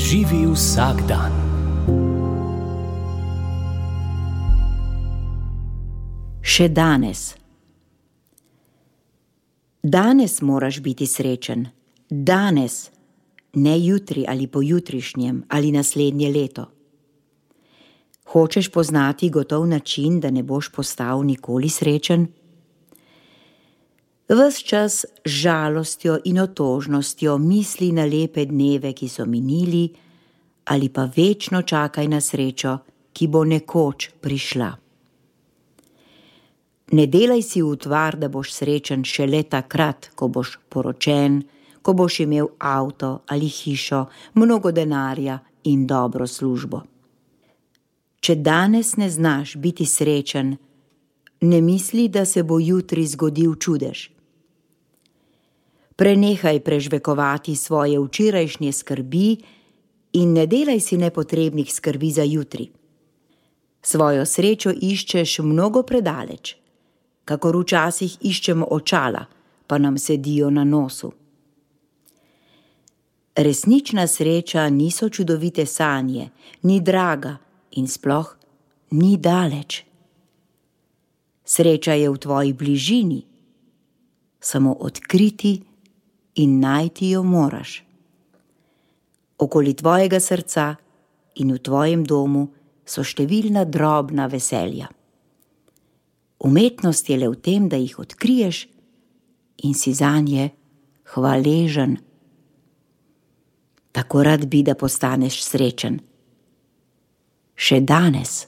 Živi vsak dan. Še danes. Danes moraš biti srečen. Danes, ne jutri ali pojutrišnjem ali naslednje leto. Hočeš poznati gotov način, da ne boš postal nikoli srečen? Ves čas z žalostjo in otožnostjo misli na lepe dneve, ki so minili, ali pa večno čakaj na srečo, ki bo nekoč prišla. Ne delaj si utvar, da boš srečen šele takrat, ko boš poročen, ko boš imel avto ali hišo, mnogo denarja in dobro službo. Če danes ne znaš biti srečen, ne misli, da se bo jutri zgodil čudež. Prenehaj prežvekovati svoje včerajšnje skrbi in ne delaj si nepotrebnih skrbi za jutri. Svojo srečo iščeš mnogo predaleč, kakor včasih iščemo očala, pa nam sedijo na nosu. Resnična sreča niso čudovite sanje, ni draga in sploh ni daleč. Sreča je v tvoji bližini, samo odkriti in najti jo moraš. Okoli tvojega srca in v tvojem domu so številna drobna veselja. Umetnost je le v tem, da jih odkriješ in si zanje hvaležen. Tako rad bi, da postaneš srečen. Še danes.